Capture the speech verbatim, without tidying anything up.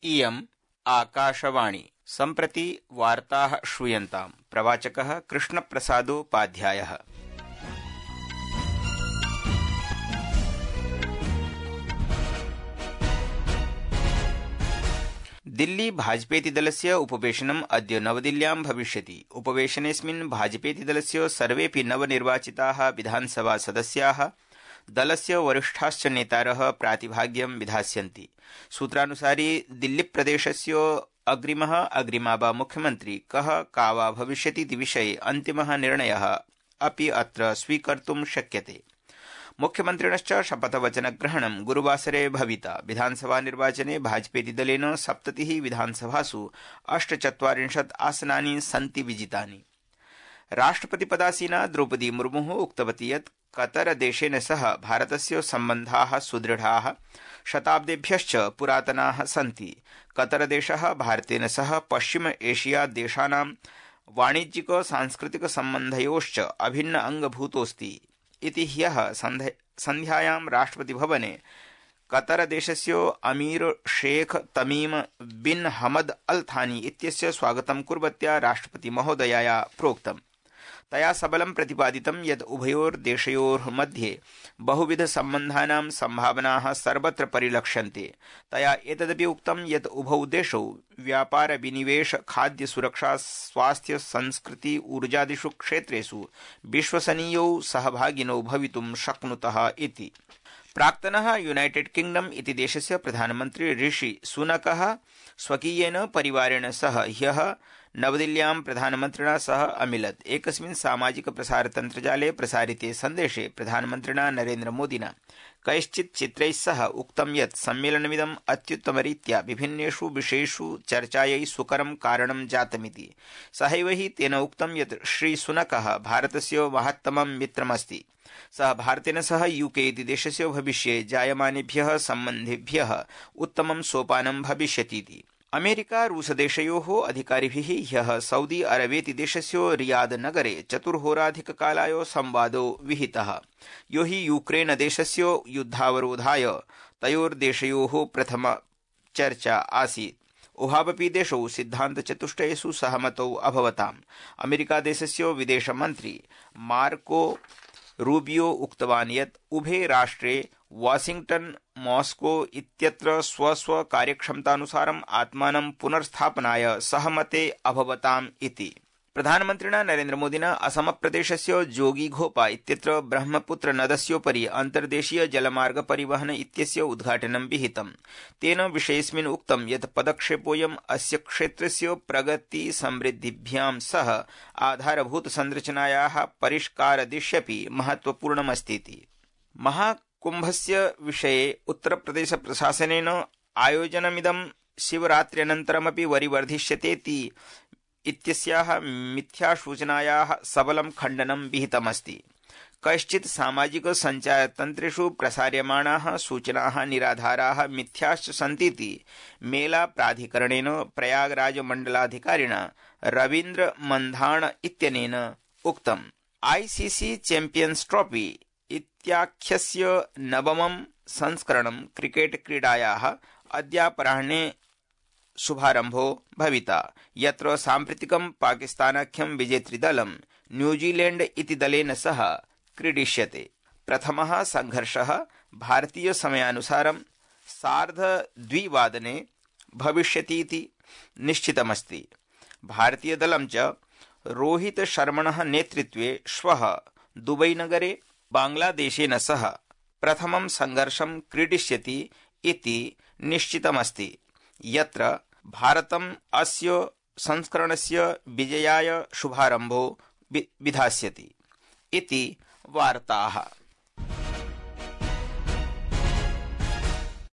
इयम् आकाशवाणी। सम्प्रति वार्ताः श्रूयन्ताम्। प्रवाचकः कृष्णप्रसादोपाध्यायः। दिल्ली भाजपेति दलस्य उपवेशनम् अद्य नवदिल्ल्यां भविष्यति। उपवेशनेऽस्मिन् भाजपेति दलस्य सर्वेऽपि नवनिर्वाचिताः विधानसभा सदस्याः दलस्य वरिष्ठाश्च नेतारः प्रातिभाग्यं विधास्यन्ति। सूत्रानुसारि दिल्लीप्रदेशस्य अग्रिमः अग्रिमा वा मुख्यमन्त्री कः का वा भविष्यतीति विषये अन्तिमः निर्णयः अपि अत्र स्वीकर्तुं शक्यते। मुख्यमन्त्रिणश्च शपथवचनग्रहणं गुरुवासरे भविता। विधानसभा निर्वाचने भाजपेति दलेन सप्ततिः विधानसभासु अष्टचत्वारिंशत् आसनानि सन्ति विजितानि। राष्ट्रपतिपदासीना द्रौपदी मुर्मुः उक्तवती यत् कतरदेशेन सह भारतस्य सम्बन्धाः सुदृढाः शताब्देभ्यश्च पुरातनाः सन्ति। कतरदेशः भारतेन सह पश्चिम एशिया देशानां वाणिज्यिक सांस्कृतिक सम्बन्धयोश्च अभिन्न अंगभूतोऽस्ति इति ह्यः सन्ध्यायां राष्ट्रपतिभवने कतरदेशस्य अमीर शेख तमीम बिन हमद अल थानी इत्यस्य स्वागतं कुर्वत्या राष्ट्रपतिमहोदयाया प्रोक्तम्। तया सबलं प्रतिपादितं यत् उभयोर्देशयोः मध्ये बहुविधसम्बन्धानां सम्भावनाः सर्वत्र परिलक्ष्यन्ते। तया एतदपि उक्तं यत् उभौ देशौ व्यापार विनिवेश खाद्य सुरक्षा स्वास्थ्य संस्कृति ऊर्जादिषु क्षेत्रेषु विश्वसनीयौ सहभागिनौ भवितुं शक्नुतः इति। प्राक्तनः यूनाइटेड किंगडम इति देशस्य प्रधानमन्त्री ऋषि सुनकः स्वकीयेन परिवारेण सह ह्यः नवदिल्ल्यां प्रधानमन्त्रिणा सह अमिलत्। एकस्मिन् सामाजिक प्रसारतन्त्रजाले प्रसारिते सन्देशे प्रधानमन्त्रिणा नरेन्द्र मोदिना कैश्चित् चित्रैः सह उक्तं यत् सम्मेलनमिदम् अत्युत्तमरीत्या विभिन्नेषु विषयेषु चर्चायै सुकरं कारणं जातमिति। सहैव हि तेन उक्तं यत् श्रीसुनकः भारतस्य महत्तमं मित्रमस्ति। सः भारतेन सह यूके इति देशस्य भविष्ये जायमानेभ्यः सम्बन्धेभ्यः उत्तमं सोपानं भविष्यतीति। अमेरिका रूसदेशयोः अधिकारिभिः ह्यः सऊदी अरबेति देशस्य रियाद नगरे चतुर्होराधिककालाय संवादो विहितः, यो हि यूक्रेन देशस्य युद्धावरोधाय तयोर्देशयोः प्रथमा चर्चा आसीत्। उभावपि देशौ सिद्धान्तचतुष्टयेषु सहमतौ अभवताम्। अमेरिका देशस्य विदेशमन्त्री मार्को रूबियो उक्तवान् यत् उभे राष्ट्रे वाशिंग्टन मॉस्को इत्यत्र स्वस्व कार्यक्षमतानुसारम् आत्मानं पुनर्स्थापनाय सहमते अभवताम् इति। प्रधानमन्त्रिणा नरेन्द्र मोदिना असमप्रदेशस्य जोगीघोपा इत्यत्र ब्रह्मपुत्र नदस्योपरि अन्तर्देशीय जलमार्ग परिवहन इत्यस्य उद्घाटनं विहितम्। तेन विषयेऽस्मिन् उक्तं यत् पदक्षेपोऽयम् अस्य क्षेत्रस्य प्रगति समृद्धिभ्यां सह आधारभूत संरचनायाः परिष्कारदिश्यपि महत्वपूर्णमस्तीति। महाकुम्भस्य विषये उत्तरप्रदेश प्रशासनेन आयोजनमिदं शिवरात्र्यनन्तरमपि वरिवर्धिष्यतेति इत्यस्याः मिथ्यासूचनायाः सबलं खण्डनं विहितमस्ति। कैश्चित् सामाजिक सञ्चारतन्त्रेषु प्रसार्यमाणाः सूचनाः निराधाराः मिथ्याश्च सन्तीति मेला प्राधिकरणेन प्रयागराज मण्डलाधिकारिणा रवीन्द्र मंधाण इत्यनेन उक्तम्। आईसीसी चैम्पियन्स् ट्रॉफी इत्याख्यस्य नवमं संस्करणं क्रिकेट क्रीडायाः अद्यापराह्ने शुभारम्भो भविता, यत्र साम्प्रतिकं पाकिस्तानाख्यं विजेतृदलं न्यूजीलैंड इति दलेन सह क्रीडिष्यते। प्रथमः संघर्षः भारतीय समयानुसारं सार्धद्विवादने भविष्यतीति निश्चितमस्ति। भारतीय दलं च रोहित शर्मणः नेतृत्वे श्वः दुबई नगरे बांग्लादेशेन सह प्रथमं संघर्षं क्रीडिष्यति इति निश्चितमस्ति, यत्र भारतम् अस्य संस्करणस्य विजयाय शुभारम्भो विधास्यति इति वार्ताः।